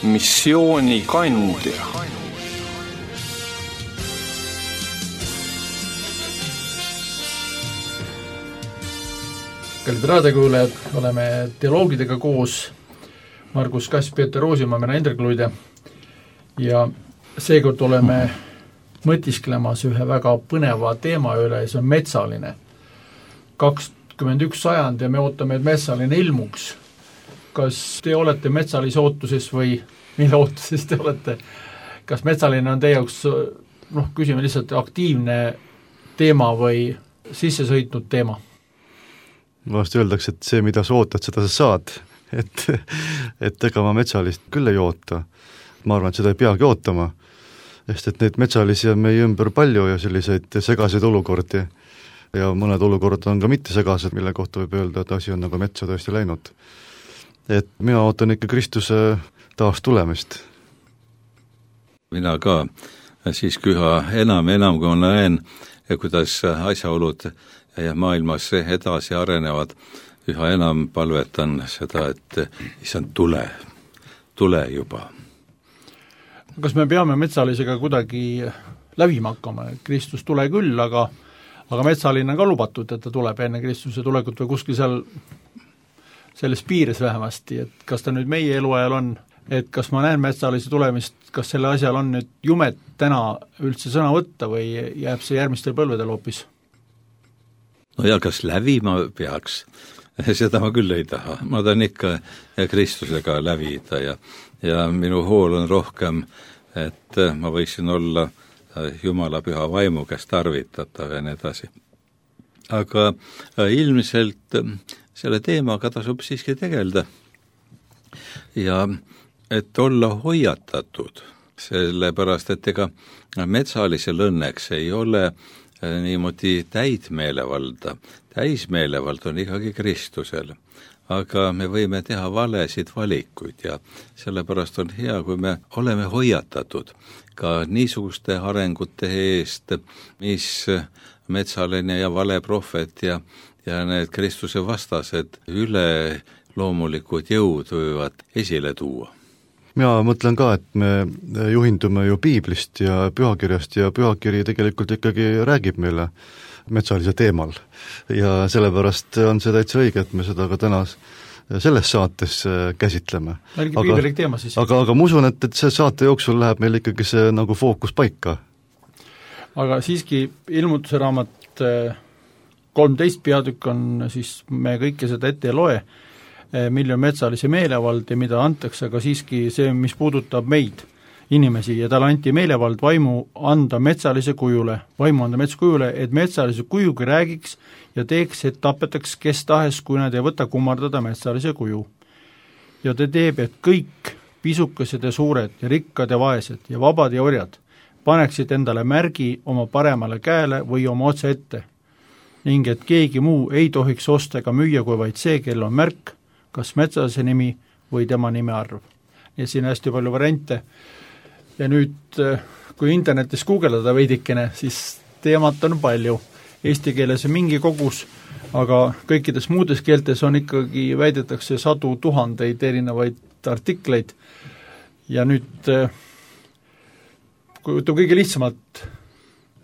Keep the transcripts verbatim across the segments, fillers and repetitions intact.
missiooni kandja. Kallid raadiokuulajad, oleme teoloogidega koos, Margus Kass, Peeter Roosimaa, mina Indrek Luide, ja seekord oleme mõtisklemas ühe väga põneva teema üle, see on metsaline. kakskümmend üks sajand ja me ootame, et metsaline ilmuks. Kas te olete metsalise ootuses või mille ootuses te olete? Kas metsaline on teie jaoks, noh, küsime lihtsalt aktiivne teema või sisse sõitnud teema? Vahest öeldakse, et see, mida sa ootad, seda sa saad. Et, et ega ma metsalist küll ei oota. Ma arvan, et seda ei peagi ootama. Sest et neid metsalisi on meie ümber palju ja selliseid segaseid olukordi. Ja mõned olukorrad on ka mitte segased, mille kohta võib öelda, et asi on nagu metsa tõesti läinud. Et mina ootan ikka Kristuse taas tulemist. Mina ka siiski üha enam, enam kui ma näen, kuidas asjaolud ja maailmas edasi arenevad, üha enam palvetan seda, et issand, tule, tule juba. Kas me peame metsalisega kuidagi lävima hakkama? Kristus tule küll, aga, aga metsaline on ka lubatud, et ta tuleb enne Kristuse tulekut või kuskil seal selles piires vähemasti, et kas ta nüüd meie eluajal on, et kas ma näen metsalise tulemist, kas selle asjal on nüüd jumet täna üldse sõna võtta või jääb see järgmistel põlvedel hoopis? No ja kas lävima peaks? Seda ma küll ei taha. Ma tahan ikka Kristusega lävida ja, ja minu hool on rohkem, et ma võiksin olla Jumala püha vaimu, kes tarvitatav ja nii edasi. Aga ilmselt selle teemaga tasub siiski tegelda. Ja et olla hoiatatud, sellepärast, et ega metsalisel õnneks ei ole niimoodi täitmeelevalda. Täismeelevald on ikkagi Kristusel, aga me võime teha valesid valikuid ja sellepärast on hea, kui me oleme hoiatatud ka niisuguste arengute eest, mis metsaline ja vale prohvet ja, ja need Kristuse vastased üle loomulikud jõud võivad esile tuua. Mina mõtlen ka, et me juhindume ju piiblist ja pühakirjast ja pühakiri tegelikult ikkagi räägib meile metsalise teemal. Ja sellepärast on see täitsa õige, et me seda ka täna selles saates käsitleme. Aga, teema siis. aga, aga ma usun, et, et see saate jooksul läheb meil ikkagi see nagu fookus paika. Aga siiski ilmutuse raamat kolmteist peatükk on, siis me kõike seda ette ei loe, milline on metsalise meelevald ja mida antakse, aga siiski see, mis puudutab meid, inimesi, ja talle anti meelevald vaimu anda metsalise kujule, vaimu anda metskujule, et metsalise kujugi räägiks ja teeks, et tapetaks kes tahes, kui nad ei võta kummardada metsalise kuju. Ja ta teeb, et kõik pisukesed ja suured ja rikkad ja vaesed ja vabad ja orjad paneksid endale märgi oma paremale käele või oma otse ette, ning et keegi muu ei tohiks osta ega müüa, kui vaid see, kel on märk, kas metsalise nimi või tema nime arv. Ja siin on hästi palju variante. Ja nüüd, kui internetis guugeldada veidikene, siis teemat on palju. Eesti keeles on mingi kogus, aga kõikides muudes keeltes on ikkagi, väidetakse sadu tuhandeid erinevaid artikleid. Ja nüüd, kui kõige lihtsamalt,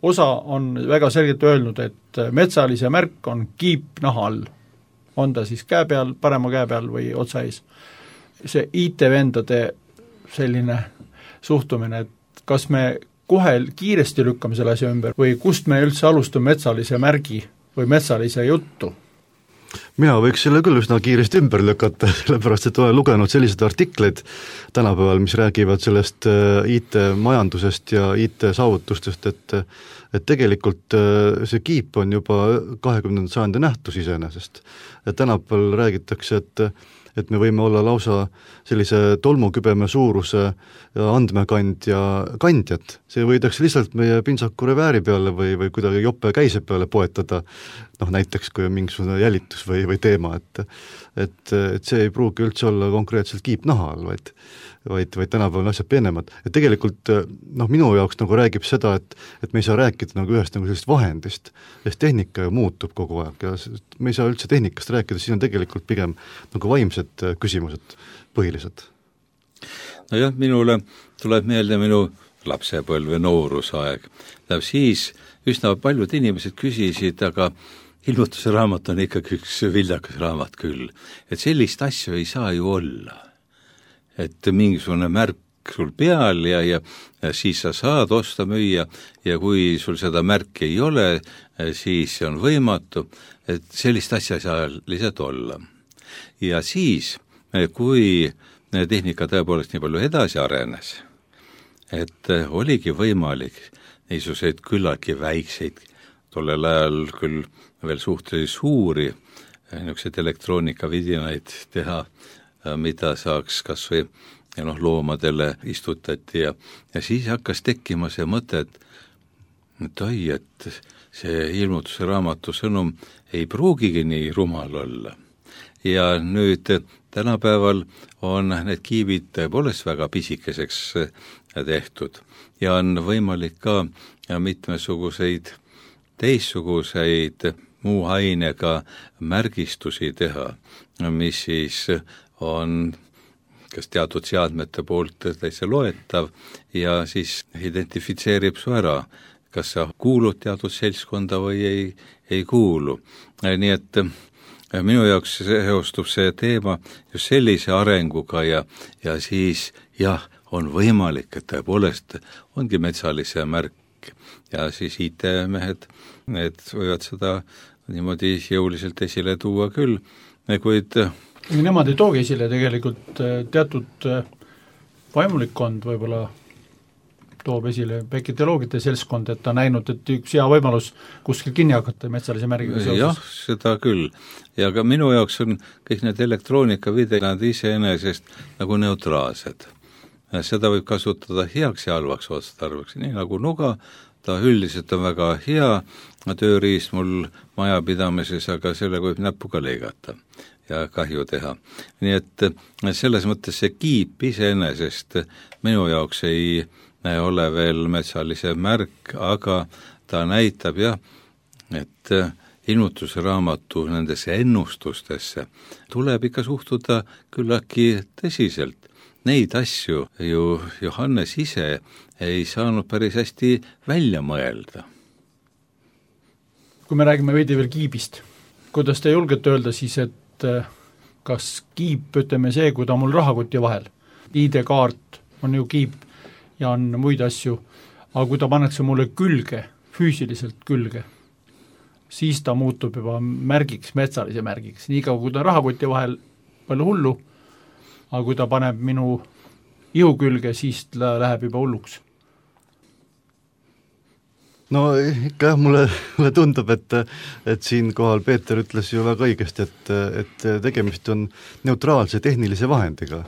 osa on väga selgelt öelnud, et metsalise märk on kiip naha all. On ta siis käe peal, parema käe peal või otsa ees. See I T-vendade selline suhtumine, et kas me kohe kiiresti lükkame selle asja ümber või kust me üldse alustame metsalise märgi või metsalise juttu? Mina võiks selle küll üsna kiiresti ümber lükata, sellepärast, et olen lugenud sellised artikleid tänapäeval, mis räägivad sellest I T-majandusest ja I T-saavutustest, et, et tegelikult see kiip on juba kahekümnenda sajandi nähtus iseenesest. Et tänapäeval räägitakse, et et me võime olla lausa sellise tolmukübeme suuruse andmekandja kandjad. See võidakse lihtsalt meie pintsaku revääri peale või, või kuidagi jope käise peale poetada, noh näiteks kui on mingisugune jälitus või, või teema, et, et, et see ei pruugi üldse olla konkreetselt kiip naha all, vaid, vaid, vaid tänapäeval asjad peenemad. Ja tegelikult noh, minu jaoks nagu räägib seda, et, et me ei saa rääkida nagu ühest nagu sellist vahendist, sest tehnika ju muutub kogu aeg ja me ei saa üldse tehnikast rääkida, siis on tegelikult pigem nagu vaimsed küsimused põhilised. nojah, minule tuleb meelde minu lapsepõlv või noorusaeg. Tähendab, siis üsna paljud inimesed küsisid, aga ilmutuse raamat on ikkagi üks viljakas raamat küll. Et sellist asju ei saa ju olla. Et mingisugune märk sul peal ja, ja, ja siis sa saad osta müüa ja kui sul seda märki ei ole, siis see on võimatu, et sellist asja ei saa lihtsalt olla. Ja siis, kui tehnika tõepoolest nii palju edasi arenes, et oligi võimalik niisuguseid küllaltki väikseid, tollel ajal küll veel suhteliselt suuri niisuguseid elektroonikavidinaid teha, mida saaks kas või ja noh, loomadele istutati ja, ja siis hakkas tekkima see mõte, et, et oi, et see ilmutuse raamatu sõnum ei pruugigi nii rumal olla. Ja nüüd tänapäeval on need kiibid tõepoolest väga pisikeseks tehtud ja on võimalik ka mitmesuguseid teistsuguseid muu ainega märgistusi teha, mis siis on kas teatud seadmete poolt täitsa loetav ja siis identifitseerib su ära, kas sa kuulud teatud seltskonda või ei, ei kuulu. Nii et minu jaoks seostub see teema just sellise arenguga ja, ja siis jah, on võimalik, et tõepoolest ongi metsalise märk ja siis I T-mehed, need võivad seda niimoodi jõuliselt esile tuua küll, kuid nemad ei toogi esile tegelikult teatud vaimulikkond võib-olla toob esile päiketoloogide seltskond, et ta näinud, et üks hea võimalus kuskil kinni hakata metsalise märgiga seoses. Jah, seda küll. Ja ka minu jaoks on kõik need elektroonikavideod iseenesest nagu neutraalsed. Seda võib kasutada heaks ja halvaks otstarbeks, nii nagu nuga, ta üldiselt on väga hea tööriist mul majapidamises, aga sellega võib näpuga leigata ja kahju teha. Nii et selles mõttes see kiip iseenesest minu jaoks ei ole veel metsalise märk, aga ta näitab jah, et ilmutuse raamatu nendesse ennustustesse tuleb ikka suhtuda küllaki tõsiselt. Neid asju ju Johannes ise ei saanud päris hästi välja mõelda. Kui me räägime veidi veel kiibist, kuidas te julgete öelda siis, et kas kiip, ütleme see, kui ta mul rahakoti vahel, I D-kaart on ju kiip ja on muid asju, aga kui ta pannakse mulle külge, füüsiliselt külge, siis ta muutub juba märgiks, metsalise märgiks, nii kaua kui ta rahakoti vahel palju hullu, aga kui ta paneb minu ihu külge, siis ta läheb juba hulluks. No ikka jah, mulle, mulle tundub, et, et siin kohal Peeter ütles ju väga õigesti, et, et tegemist on neutraalse tehnilise vahendiga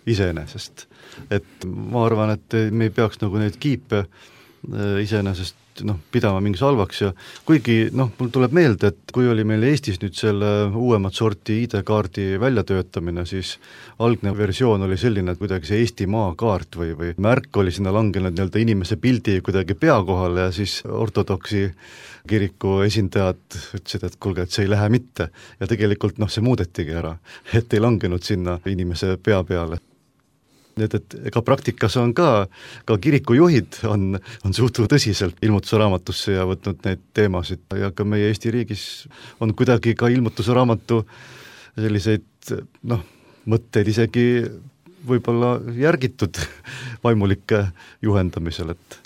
iseenesest. Et ma arvan, et me ei peaks nagu neid kiipe iseenesest noh, pidama mingis halvaks ja kuigi noh, mul tuleb meelde, et kui oli meil Eestis nüüd selle uuemat sorti I D-kaardi väljatöötamine, siis algne versioon oli selline, et kuidagi see Eesti maakaart või, või märk oli sinna langenud nii-öelda inimese pildi kuidagi pea kohale ja siis ortodoksi kiriku esindajad ütlesid, et kuulge, et see ei lähe mitte. Ja tegelikult noh, see muudetigi ära, et ei langenud sinna inimese pea peale. Nii et ega praktikas on ka, ka kirikujuhid on, on suhtunud tõsiselt ilmutuse raamatusse ja võtnud neid teemasid ja ka meie Eesti riigis on kuidagi ka ilmutuse raamatu selliseid noh, mõtteid isegi võib-olla järgitud vaimulike juhendamisel, et,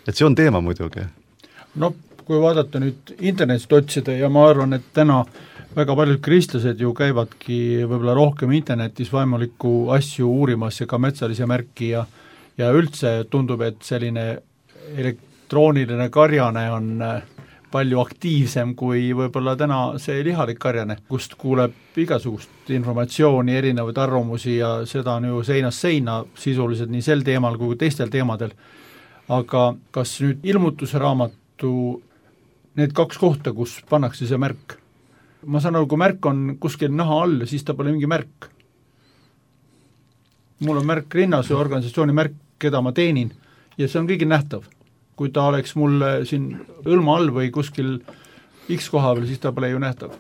et see on teema muidugi. No kui vaadata nüüd internetist otsida ja ma arvan, et täna väga paljud kristlased ju käivadki võib-olla rohkem internetis vaimulikku asju uurimas ja ka metsalise märki ja, ja üldse tundub, et selline elektrooniline karjane on palju aktiivsem kui võib-olla täna see lihalik karjane, kust kuuleb igasugust informatsiooni, erinevaid arvamusi ja seda on ju seinast seina sisuliselt nii sel teemal kui teistel teemadel. Aga kas nüüd ilmutuse raamatu need kaks kohta, kus pannakse see märk? Ma saan aru, kui märk on kuskil naha all, siis ta pole mingi märk. Mul on märk rinnas ja organisatsiooni märk, keda ma teenin ja see on kõigil nähtav. Kui ta oleks mul siin õlma all või kuskil X koha peal, siis ta pole ju nähtav.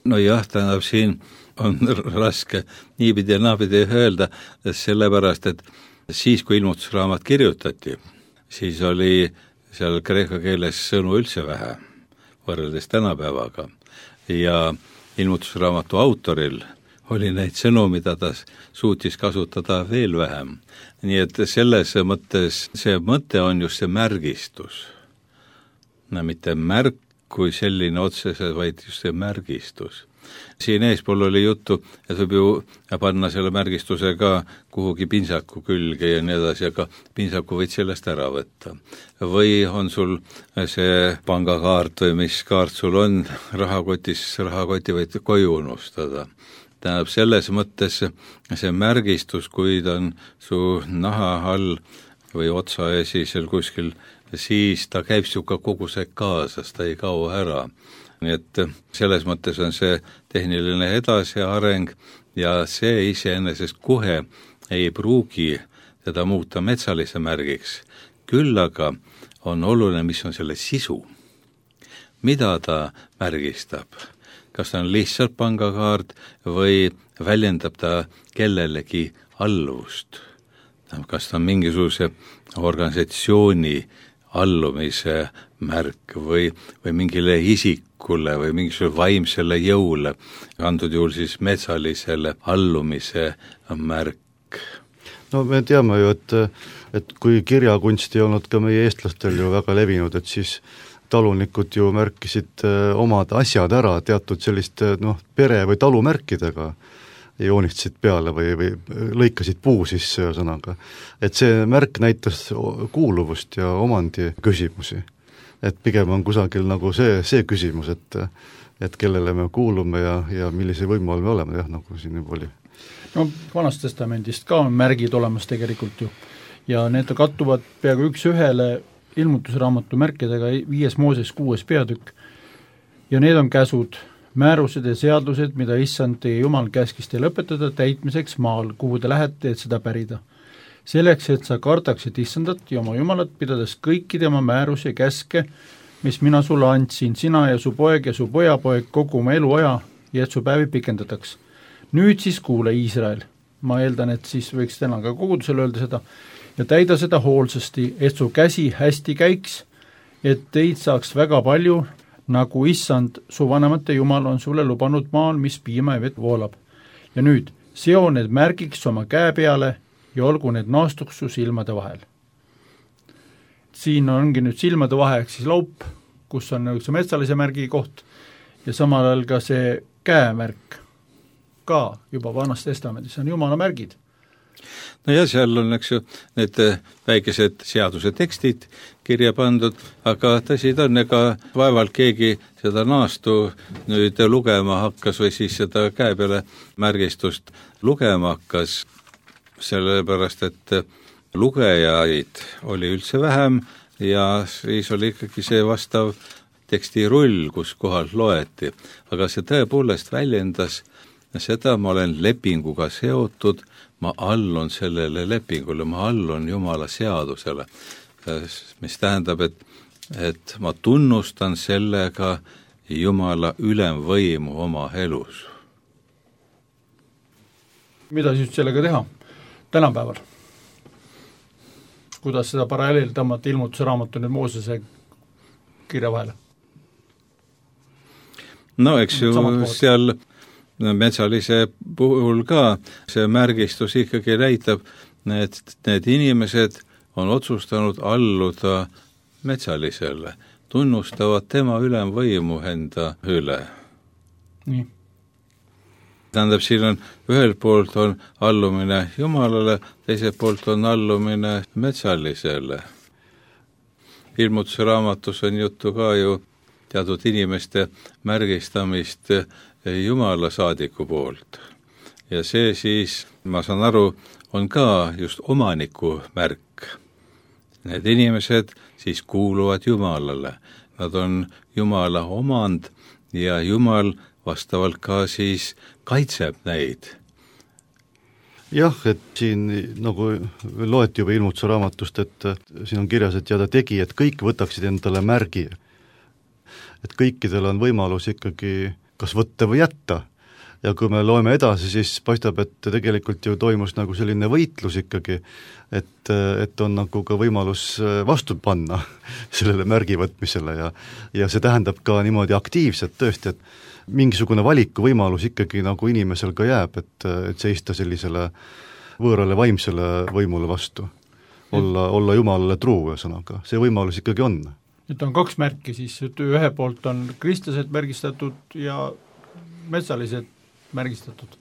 No jah, tähendab siin on raske niipidi ja naapidi öelda, sellepärast, et siis, kui ilmutusraamat kirjutati, siis oli seal kreeka keeles sõnu üldse vähe, võrreldes tänapäevaga. Ja ilmutusraamatu autoril oli neid sõnu, mida ta suutis kasutada veel vähem. Nii et selles mõttes, see mõte on just see märgistus. No, mitte märk kui selline otsese, vaid just see märgistus. Siin eespool oli juttu, et võib ju panna selle märgistuse ka kuhugi pintsaku külge ja nii edasi, aga pintsaku võid sellest ära võtta. Või on sul see pangakaart või mis kaart sul on rahakotis, rahakoti võid koju unustada. Tähendab, selles mõttes see märgistus, kui ta on su naha all või otsa esisel kuskil, siis ta käib siuka kogu see kaasas, ta ei kao ära. Nii et selles mõttes on see tehniline edasiareng ja see iseenesest kohe ei pruugi teda muuta metsalise märgiks. Küll aga on oluline, mis on selle sisu. Mida ta märgistab? Kas ta on lihtsalt pangakaart või väljendab ta kellelegi alluvust? Kas ta on mingisuguse organisatsiooni allumise märk või, või mingile isikule või mingisugusele vaimsele jõule, antud juhul siis metsalisele allumise märk. No me teame ju, et, et kui kirjakunst ei olnud ka meie eestlastel ju väga levinud, et siis talunikud ju märkisid omad asjad ära teatud selliste noh, pere- või talumärkidega, joonistasid peale või, või lõikasid puu sisse sõnaga. Et see märk näitas kuuluvust ja omandi küsimusi. Et pigem on kusagil nagu see, see küsimus, et, et kellele me kuulume ja, ja millise võimu all me oleme, jah, nagu siin juba oli. No Vanast testamendist ka on märgid olemas tegelikult ju. Ja need kattuvad peaaegu üks ühele ilmutusraamatu märkidega viies Mooses kuues peatükk. Ja need on käsud, määrused ja seadused, mida issand teie Jumal käskis teil õpetada täitmiseks maal, kuhu te lähete, et seda pärida. Selleks, et sa kardaksid issandat ja oma Jumalat, pidades kõiki tema määrusi ja käske, mis mina sulle andsin, sina ja su poeg ja su pojapoeg kogu oma eluaja, ja et su päevi pikendataks. Nüüd siis kuule, Iisrael, ma eeldan, et siis võiks täna ka kogudusele öelda seda, ja täida seda hoolsasti, et su käsi hästi käiks, et teid saaks väga palju, nagu issand, su vanemate Jumal on sulle lubanud maal, mis piima ja vett voolab. Ja nüüd, seo need märgiks oma käe peale ja olgu need naastuks su silmade vahel. Siin ongi nüüd silmade vaheks siis laup, kus on üks metsalise märgi koht ja samal ajal ka see käemärk ka juba Vanas testamendis on Jumala märgid. No ja seal on, eks ju, need väikesed seaduse tekstid kirja pandud, aga tõsi ta on, ega vaevalt keegi seda naastu nüüd lugema hakkas või siis seda käe peale märgistust lugema hakkas, sellepärast et lugejaid oli üldse vähem ja siis oli ikkagi see vastav tekstirull, kus kohal loeti. Aga see tõepoolest väljendas seda, ma olen lepinguga seotud, ma allun sellele lepingule, ma allun Jumala seadusele, mis tähendab, et, et ma tunnustan sellega Jumala ülemvõimu oma elus. Mida siis sellega teha tänapäeval? Kuidas seda paralleel tõmmata ilmutuse raamatu nüüd Moosese kirja vahele? No eks ju seal metsalise puhul ka see märgistus ikkagi näitab, et need inimesed on otsustanud alluda metsalisele, tunnustavad tema ülemvõimu enda üle. Nii. Tähendab, siin on ühelt poolt on allumine Jumalale, teiselt poolt on allumine metsalisele. Ilmutuse raamatus on juttu ka ju teatud inimeste märgistamist Jumala saadiku poolt. Ja see siis, ma saan aru, on ka just omaniku märk. Need inimesed siis kuuluvad Jumalale. Nad on Jumala omand ja Jumal vastavalt ka siis kaitseb neid. Jah, et siin nagu loeti juba ilmutuse raamatust, et siin on kirjas, et ja ta tegi, et kõik võtaksid endale märgi. Et kõikidel on võimalus ikkagi kas võtta või jätta. ja kui me loeme edasi, siis paistab, et tegelikult ju toimus nagu selline võitlus ikkagi, et, et on nagu ka võimalus vastu panna sellele märgi võtmisele ja ja see tähendab ka niimoodi aktiivselt tõesti, et mingisugune valikuvõimalus ikkagi nagu inimesel ka jääb, et, et seista sellisele võõrale vaimsele võimule vastu, olla, olla Jumalale truu, ühesõnaga, see võimalus ikkagi on. et on kaks märki siis, et ühe poolt on kristlased märgistatud ja metsalised märgistatud.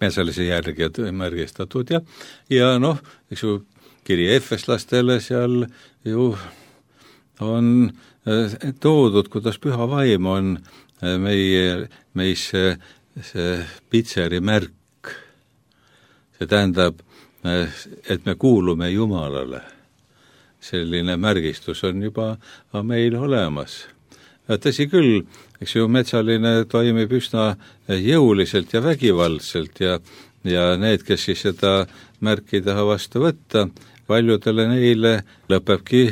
Metsalise järgijad märgistatud ja, ja noh, eks ju, kiri efeslastele seal ju on toodud, kuidas püha vaim on meie, meisse see pitseri märk. See tähendab, et me kuulume Jumalale. Selline märgistus on juba meil olemas. Tõsi küll, eks ju, metsaline toimib üsna jõuliselt ja vägivaldselt ja, ja need, kes siis seda märki taha vastu võtta, paljudele neile lõpebki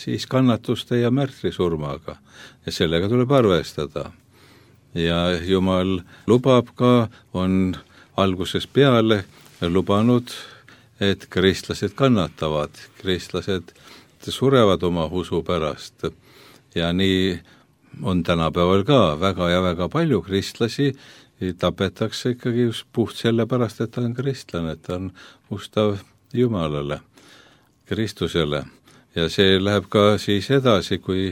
siis kannatuste ja märtrisurmaga ja sellega tuleb arvestada. Ja Jumal lubab ka, on algusest peale lubanud, et kristlased kannatavad, kristlased surevad oma usu pärast ja nii on tänapäeval ka väga ja väga palju kristlasi, tapetakse ikkagi just puht selle pärast, et ta on kristlane, et ta on ustav Jumalale, Kristusele. Ja see läheb ka siis edasi, kui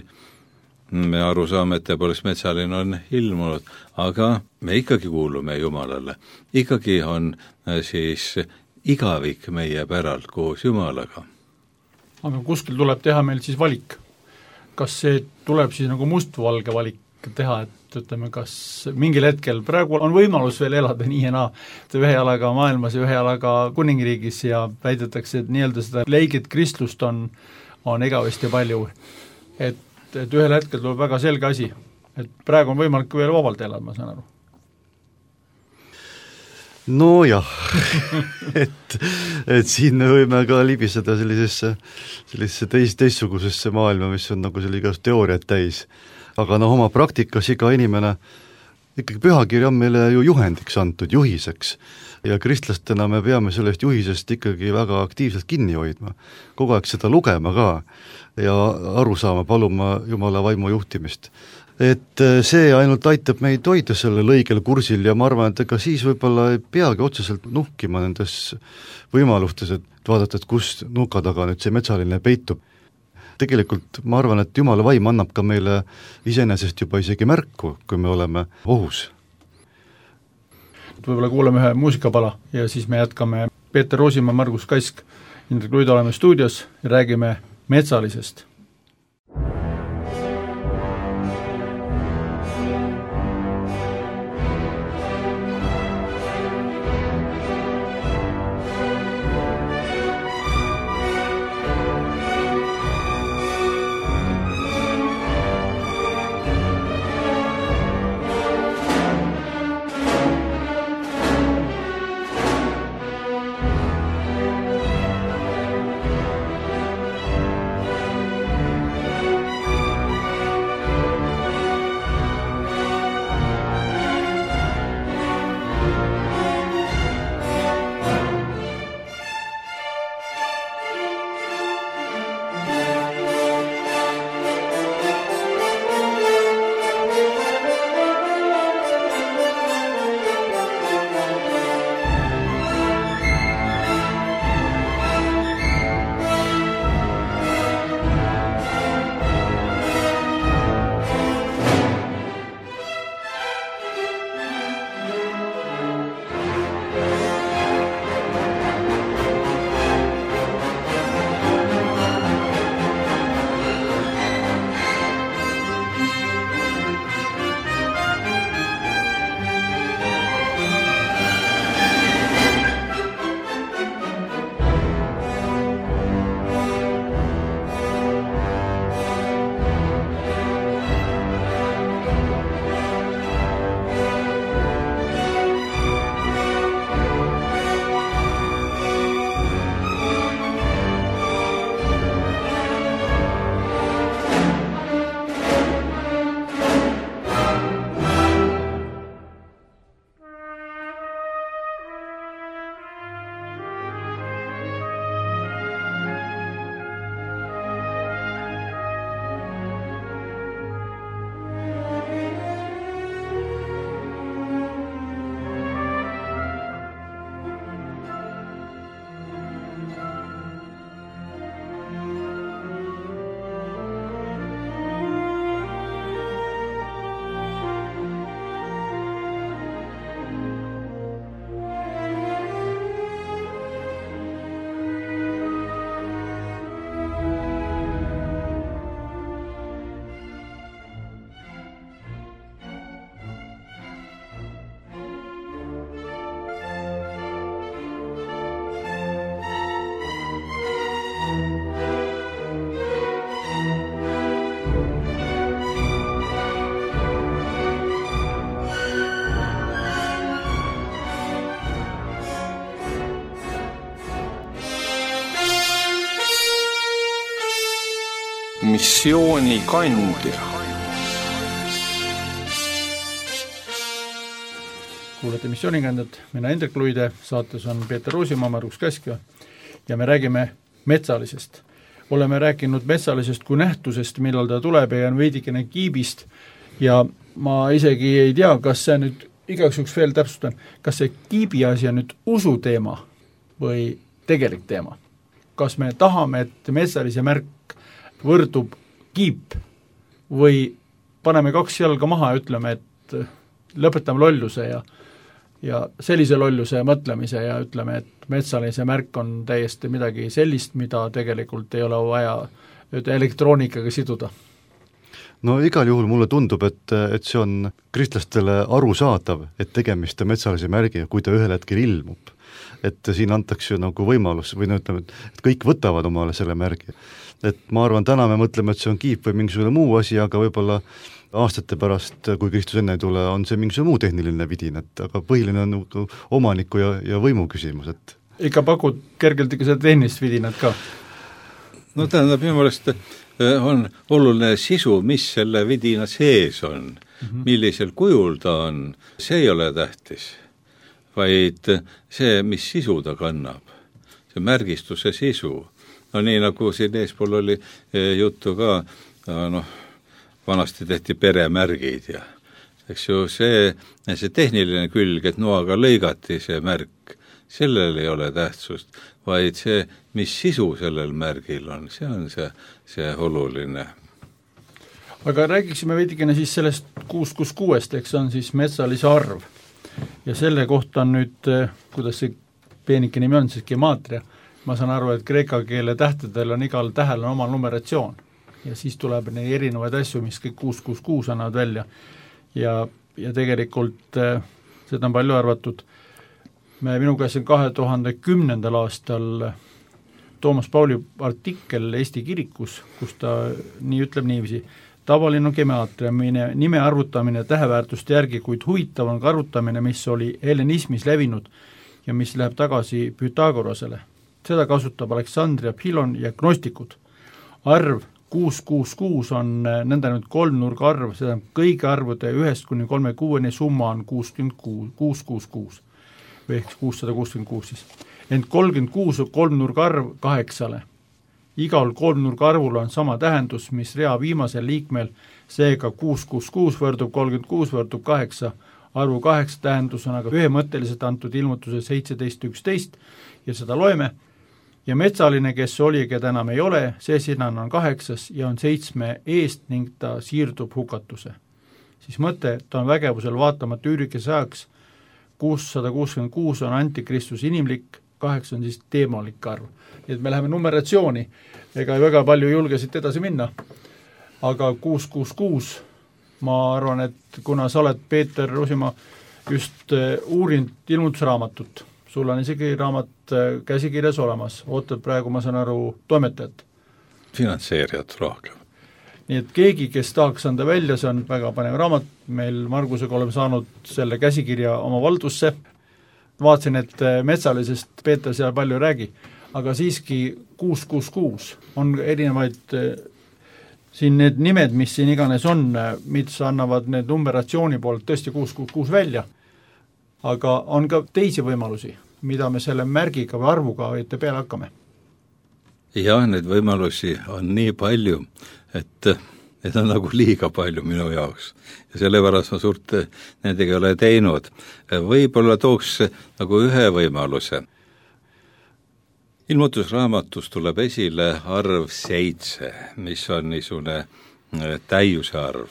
me aru saame, et tõepoolest metsaline on ilmunud, aga me ikkagi kuulume Jumalale. Ikkagi on siis igavik meie päralt koos Jumalaga. Aga kuskil tuleb teha meil siis valik. Kas see tuleb siis nagu mustvalge valik teha, et ütleme, kas mingil hetkel praegu on võimalus veel elada nii ja naa, et ühe jalaga maailmas ja ühe jalaga kuningriigis ja väidetakse, et nii-öelda seda leigit kristlust on, on igavesti palju. Et, et ühel hetkel tuleb väga selge asi, et praegu on võimalik veel vabalt elada, ma saan aru. No jah, et, et siin me võime ka libiseda sellisesse, sellisesse teist, teistsugusesse maailma, mis on nagu selle igast teooriat täis. Aga noh, oma praktikas iga inimene, ikkagi pühakiri on meile ju juhendiks antud, juhiseks. Ja kristlastena me peame sellest juhisest ikkagi väga aktiivselt kinni hoidma. Kogu aeg seda lugema ka ja aru saama, paluma Jumala vaimu juhtimist. Et see ainult aitab meid hoida selle lõigel kursil ja ma arvan, et ega siis võib-olla ei peagi otseselt nuhkima nendes võimalustes, et vaadata, et kus nuka taga nüüd see metsaline peitub. Tegelikult ma arvan, et Jumala vaim annab ka meile iseenesest juba isegi märku, kui me oleme ohus. Võib-olla kuuleme ühe muusikapala ja siis me jätkame. Peeter Roosimaa, Margus Kask, Indrek Luido oleme stuudios ja räägime metsalisest. missioonikandja. Kuulete missioonikandjat, mina Hendrik Luide, saates on Peeter Ruusimaa, Margus Käskja ja me räägime metsalisest. Oleme rääkinud metsalisest kui nähtusest, millal ta tuleb ja on veidikene kiibist ja ma isegi ei tea, kas see nüüd igaks juks veel täpsustan, kas see kiibi asi on nüüd usu teema või tegelik teema. Kas me tahame, et metsalise märk võrdub kiip või paneme kaks jalga maha ja ütleme, et lõpetame lolluse ja, ja sellise lolluse mõtlemise ja ütleme, et metsalise märk on täiesti midagi sellist, mida tegelikult ei ole vaja elektroonikaga siduda. No igal juhul mulle tundub, et, et see on kristlastele arusaadav, et tegemist on metsalise märgi, kui ta ühel hetkel ilmub. Et siin antakse ju nagu võimalus või no ütleme, et kõik võtavad omale selle märgi. Et ma arvan, täna me mõtleme, et see on kiip või mingisugune muu asi, aga võib-olla aastate pärast, kui Kristus enne ei tule, on see mingisugune muu tehniline vidin, et aga põhiline on nagu omaniku ja, ja võimu küsimus. Et ikka pakud kergelt ikka seda tehnilist vidinat ka? No tähendab, minu meelest on oluline sisu, mis selle vidina sees on, mm-hmm. millisel kujul ta on, see ei ole tähtis, vaid see, mis sisu ta kannab, see märgistuse sisu. No nii nagu siin eespool oli juttu ka, noh, vanasti tehti peremärgid ja eks ju see, see tehniline külg, et noaga lõigati see märk, sellel ei ole tähtsust, vaid see, mis sisu sellel märgil on, see on see, see oluline. Aga räägiksime veidikene siis sellest kuus kuus kuuest, eks on siis metsalise arv. Ja selle kohta on nüüd, kuidas see peenike nimi on, siis gemaatria. Ma saan aru, et kreeka keele tähtedel on igal tähel on oma numeratsioon. Ja siis tuleb neid erinevaid asju, mis kõik kuus kuus kuus annavad välja. Ja, ja tegelikult seda on palju arvatud. Me minu käes on kahe tuhande kümnendal aastal Toomas Pauli artikkel Eesti kirikus, kus ta nii ütleb niiviisi, tavaline gemaatria, nime arvutamine täheväärtuste järgi, kuid huvitav on ka arvutamine, mis oli hellenismis levinud ja mis läheb tagasi Pythagorasele. Seda kasutab Aleksandria, Philon ja gnostikud. Arv kuus kuus kuus on nõnda nüüd kolmnurga arv, seda kõigi arvude ühest kuni kolme kuueni summa on kuus kuus kuus või ehk kuussada kuuskümmend kuus siis. Ent kolmkümmend kuus on kolmnurga arv kaheksale. Igal kolmnurga arvul on sama tähendus, mis rea viimasel liikmel, seega kuus kuus kuus võrdub kolmkümmend kuus võrdub kaheksa. Arvu kaheksa tähendus on aga ühemõtteliselt antud ilmutuse seitseteist üksteist ja seda loeme. Ja metsaline, kes oli, keda enam ei ole, see sinan on kaheksas ja on seitsme eest ning ta siirdub hukatuse. Siis mõte, ta on vägevusel vaatamata üürikese ajaks, kuussada kuuskümmend kuus on antikristus inimlik, kaheksa on siis teemalik arv. Nii et me läheme numeratsiooni, ega väga palju julgesid edasi minna, aga kuus kuus kuus, ma arvan, et kuna sa oled, Peeter Ruusimaa, just uurinud ilmutusraamatut, sul on isegi raamat käsikirjas olemas, ootad praegu, ma saan aru, toimetajat. Finantseerijat rohkem. Nii et keegi, kes tahaks anda välja, see on väga panev raamat, meil Margusega oleme saanud selle käsikirja oma valdusse, vaatasin, et metsalisest Peeter seal palju räägi, aga siiski kuus kuus kuus on erinevaid siin need nimed, mis siin iganes on, mis annavad need numeratsiooni poolt tõesti kuus kuus kuus välja, aga on ka teisi võimalusi, mida me selle märgiga või arvuga ette peale hakkame. Jah, need võimalusi on nii palju, et need on nagu liiga palju minu jaoks ja sellepärast ma suurt nendega ei ole teinud. Võib-olla tooks nagu ühe võimaluse. Ilmutusraamatus tuleb esile arv seitse, mis on niisugune täiuse arv.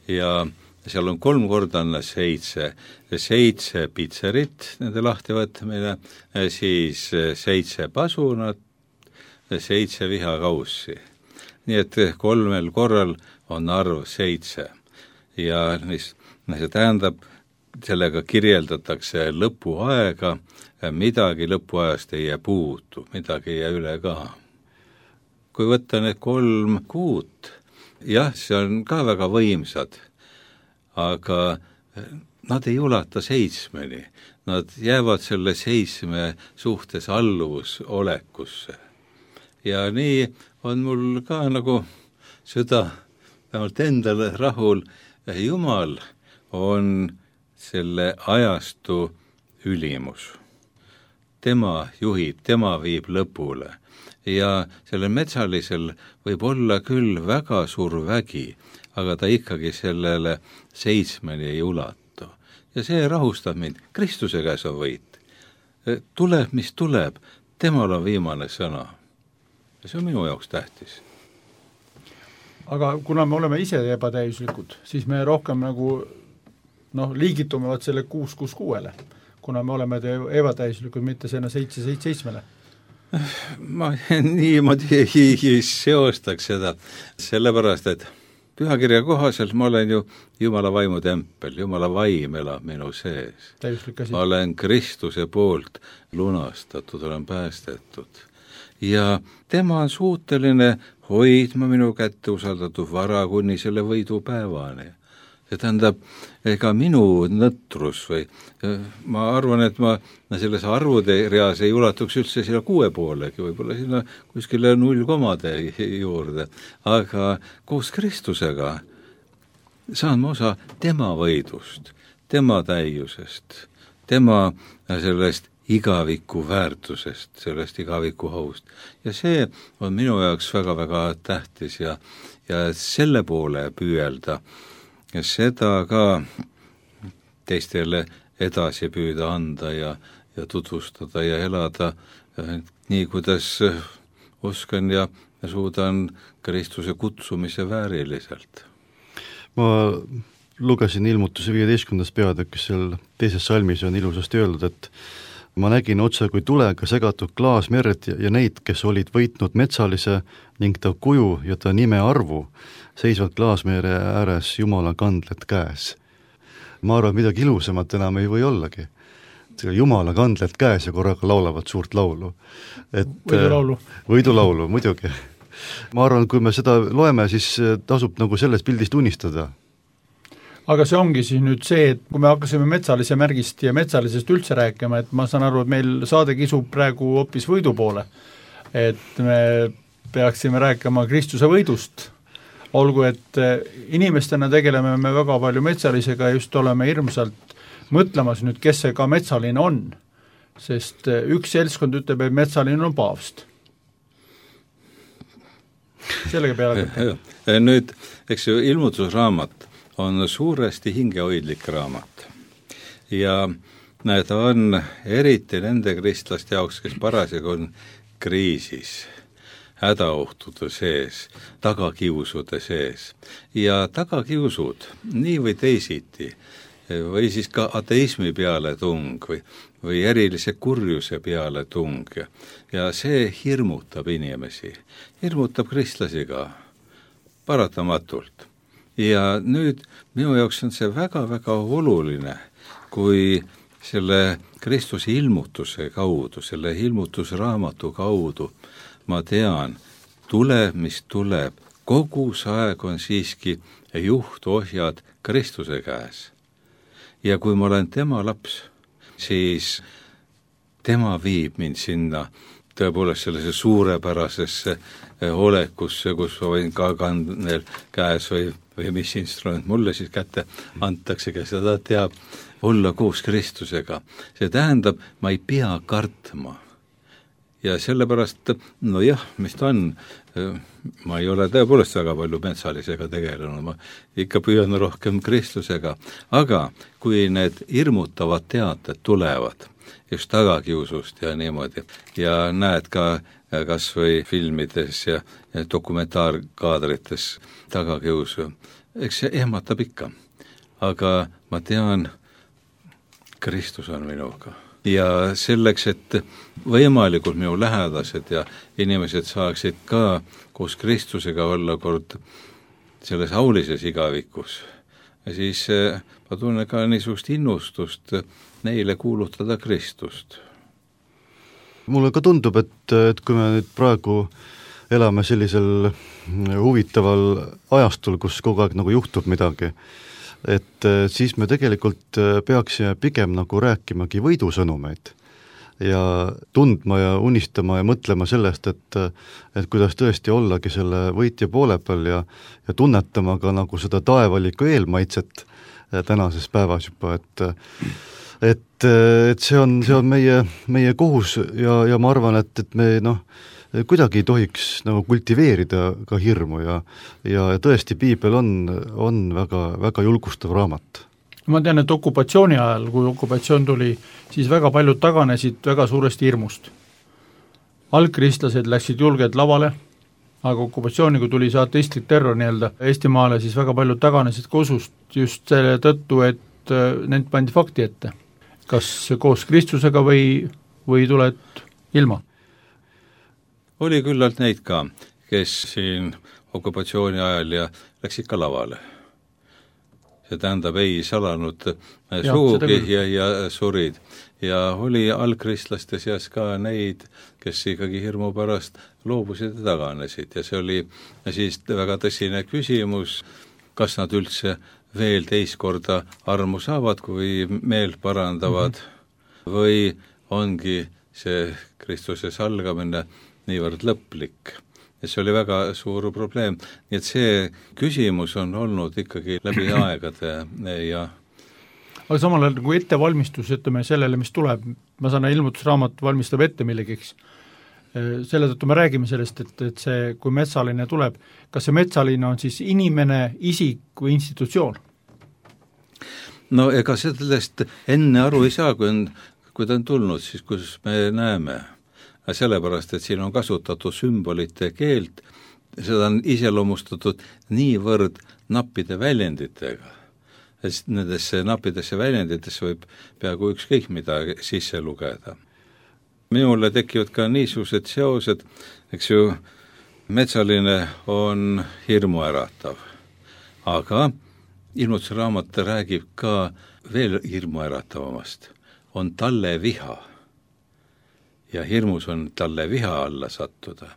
Ja seal on kolm korda anna seitse, seitse pitserit, nende lahtivõtmine, siis seitse pasunat, seitse vihakaussi. Nii et kolmel korral on arv seitse ja see tähendab, sellega kirjeldatakse lõpuaega, midagi lõpuajast ei jää puutu, midagi ei jää üle ka. Kui võtta need kolm kuut, jah, see on ka väga võimsad, aga nad ei ulata seitsmeni, nad jäävad selle seitsme suhtes alluvus olekusse. Ja nii on mul ka nagu süda vähemalt endale rahul, Jumal on selle ajastu ülimus. Tema juhib, tema viib lõpule ja sellel metsalisel võib olla küll väga suur vägi, aga ta ikkagi sellele seitsmeni ei ulatu. Ja see rahustab mind, Kristuse käes on võit. Tuleb, mis tuleb, temal on viimane sõna. Ja see on minu jaoks tähtis. Aga kuna me oleme ise ebatäiuslikud, siis me rohkem nagu noh, liigitume vaat selle kuus kuus kuuele, kuna me oleme ebatäiuslikud, mitte selle seitse seitse seitsmele. Ma niimoodi ei seostaks seda, sellepärast, et pühakirja kohaselt ma olen ju Jumala vaimu tempel, Jumala vaim elab minu sees. Ma olen Kristuse poolt lunastatud, olen päästetud. Ja tema on suuteline hoidma minu kätte usaldatud vara kuni selle võidupäevani. See tähendab, ega minu nõtrus või ma arvan, et ma selles arvude reas ei ulatuks üldse sinna kuue poolegi, võib-olla sinna kuskile null komade juurde, aga koos Kristusega saan ma osa tema võidust, tema täiusest, tema sellest igaviku väärtusest, sellest igaviku haust. Ja see on minu jaoks väga-väga tähtis ja, ja selle poole püüelda, ja seda ka teistele edasi püüda anda ja, ja tutvustada ja elada nii, kuidas oskan ja, ja suudan Kristuse kutsumise vääriliselt. Ma lugesin ilmutuse viieteistkümnendas peatükis, seal teises salmis on ilusasti öeldud, et ma nägin otse kui tulega segatud klaasmerd ja neid, kes olid võitnud metsalise ning ta kuju ja ta nime arvu, seisvad klaasmeere ääres Jumala kandled käes. Ma arvan, midagi ilusamat enam ei või ollagi. Jumala kandled käes ja korraga laulavad suurt laulu. Et, võidulaulu. Võidulaulu, muidugi. Ma arvan, kui me seda loeme, siis tasub nagu sellest pildist unistada. Aga see ongi siis nüüd see, et kui me hakkasime metsalise märgist ja metsalisest üldse rääkima, et ma saan aru, et meil saade kisub praegu hoopis võidu poole. Et me peaksime rääkima Kristuse võidust. Olgu, et inimestena tegeleme me väga palju metsalisega ja just oleme hirmsalt mõtlemas nüüd, kes see ka metsaline on. Sest üks seltskond ütleb, et metsaline on paavst. Sellega peale. Nüüd, eks ju, ilmutusraamat on suuresti hingehoidlik raamat. Ja ta on eriti nende kristlaste jaoks, kes parasjagu on kriisis, hädaohtude sees, tagakiusude sees. Ja tagakiusud, nii või teisiti, või siis ka ateismi peale tung või, või erilise kurjuse peale tung. Ja see hirmutab inimesi, hirmutab kristlasi ka, paratamatult. Ja nüüd minu jaoks on see väga-väga oluline, kui selle Kristuse ilmutuse kaudu, selle ilmutusraamatu kaudu ma tean, tuleb, mis tuleb, kogu see aeg on siiski juhtohjad Kristuse käes. Ja kui ma olen tema laps, siis tema viib mind sinna tõepoolest sellise suurepärasesse olekusse, kus ma võin ka kandnel käes või, või mis instrument mulle siis kätte antakse, kes seda teab, olla koos Kristusega. See tähendab, ma ei pea kartma. Ja sellepärast, no jah, mis ta on, ma ei ole tõepoolest väga palju metsalisega tegelenud, ma ikka püüan rohkem Kristusega, aga kui need hirmutavad teated tulevad, just tagakiusust ja niimoodi, ja näed ka kas või filmides ja, ja dokumentaarkaadrites tagakiusu, eks see ehmatab ikka, aga ma tean, Kristus on minuga. Ja selleks, et võimalikult minu lähedased ja inimesed saaksid ka koos Kristusega olla kord selles aulises igavikus, siis ma tunnen ka niisugust innustust neile kuulutada Kristust. Mulle ka tundub, et, et kui me nüüd praegu elame sellisel huvitaval ajastul, kus kogu aeg nagu juhtub midagi, et siis me tegelikult peaksime pigem nagu rääkimagi võidusõnumeid. ja tundma ja unistama ja mõtlema sellest, et et kuidas tõesti ollagi selle võitja poole peal ja, ja tunnetama ka nagu seda taevalikku eelmaitset tänases päevas juba, et et, et see on, see on meie, meie kohus ja, ja ma arvan, et, et me noh, kuidagi ei tohiks nagu kultiveerida ka hirmu ja, ja tõesti piibel on, on väga, väga julgustav raamat. Ma tean, et okupatsiooni ajal, kui okupatsioon tuli, siis väga paljud taganesid väga suuresti hirmust. Algkristlased läksid julged lavale, aga okupatsiooni, kui tuli see ateistlik terror nii-öelda Eestimaale, siis väga paljud taganesid kosust just selle tõttu, et nend pandi fakti ette. Kas koos Kristusega või, või tuled ilma? Oli küllalt neid ka, kes siin okupatsiooni ajal ja läksid ka lavale. See tähendab, ei salanud ja, suugi ja, ja surid. Ja oli algkristlaste seas ka neid, kes ikkagi hirmu pärast loobusid ja taganesid. Ja see oli siis väga tõsine küsimus, kas nad üldse veel teist korda armu saavad, kui meel parandavad, mm-hmm. või ongi see Kristuse salgamine niivõrd lõplik. Ja see oli väga suur probleem. Nii et see küsimus on olnud ikkagi läbi aegade ja aga samal ajal kui ettevalmistus, ütleme sellele, mis tuleb, ma saan ilmutusraamat valmistab ette millegiks. Selle tõttu me räägime sellest, et, et see, kui metsaline tuleb, kas see metsaline on siis inimene, isik või institutsioon? No ega sellest enne aru ei saa, kui, on, kui ta on tulnud, siis kus me näeme. Sellepärast, et siin on kasutatud sümbolite keelt, seda on iseloomustatud niivõrd nappide väljenditega. Nendesse nappidesse väljenditesse võib peaaegu ükskõik mida sisse lugeda. Minule tekivad ka niisugused seosed, eks ju, metsaline on hirmu äratav, aga ilmutusraamat räägib ka veel hirmu äratavamast, on talle viha. Ja hirmus on talle viha alla sattuda.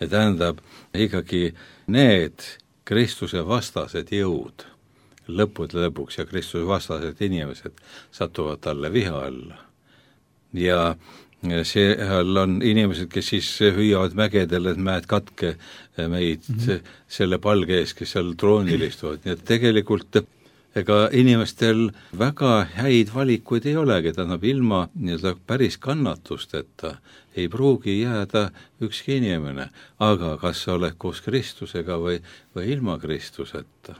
Ja tähendab ikkagi need Kristuse vastased jõud, lõpud lõpuks ja Kristuse vastased inimesed satuvad talle viha alla. Ja seal on inimesed, kes siis hüüavad mägedele, et mäed katke meid mm-hmm. selle palge ees, kes seal troonil istuvad. Nii et tegelikult ega inimestel väga häid valikuid ei olegi, tähendab ilma nii-öelda päris kannatusteta ei pruugi jääda ükski inimene, aga kas sa oled koos Kristusega või, või ilma Kristuseta?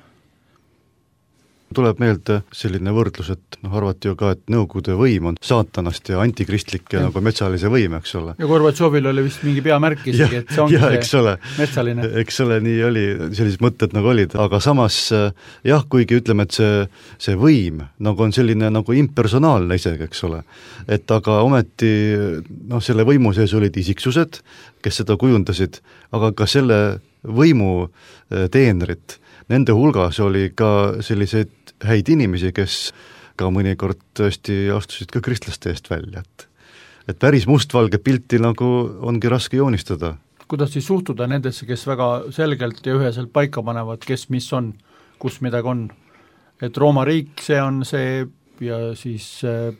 Tuleb meelde selline võrdlus, et noh, arvati ju ka, et Nõukogude võim on saatanast ja antikristlik ja, ja nagu metsalise võim, eks ole. Ja Gorbatšovil oli vist mingi peamärk isegi, et see ongi ja, see ole, metsaline. Eks ole, nii oli, sellised mõtted nagu olid, aga samas jah, kuigi ütleme, et see, see võim nagu on selline nagu impersonaalne isegi, eks ole, et aga ometi noh, selle võimu sees olid isiksused, kes seda kujundasid, aga ka selle võimu teenrid, nende hulgas oli ka selliseid häid inimesi, kes ka mõnikord tõesti astusid ka kristlaste eest välja, et et päris mustvalge pilti nagu ongi raske joonistada. Kuidas siis suhtuda nendesse, kes väga selgelt ja üheselt paika panevad, kes mis on, kus midagi on? Et Rooma riik, see on see ja siis äh,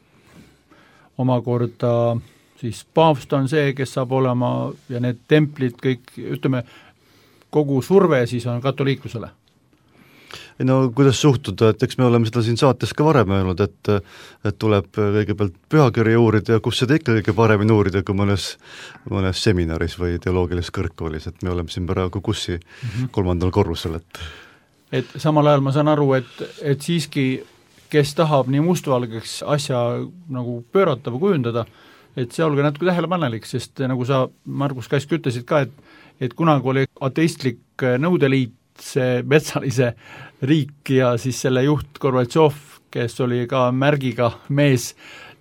omakorda siis paavst on see, kes saab olema ja need templid kõik, ütleme, kogu surve siis on katoliiklusele. No kuidas suhtuda, et eks me oleme seda siin saates ka varem öelnud, et, et tuleb kõigepealt pühakirja uurida ja kus seda ikka kõige paremini uurida kui mõnes, mõnes seminaris või teoloogilises kõrgkoolis, et me oleme siin praegu kussi mm-hmm. kolmandal korrusel. Et... et samal ajal ma saan aru, et, et siiski, kes tahab nii mustvalgeks asja nagu pöörata või kujundada, et see olge natuke tähelepanelik, sest nagu sa, Margus Käsk, ütlesid ka, et, et kunagi oli ateistlik nõudeliit, see metsalise riik ja siis selle juht Gorbatšov, kes oli ka märgiga mees,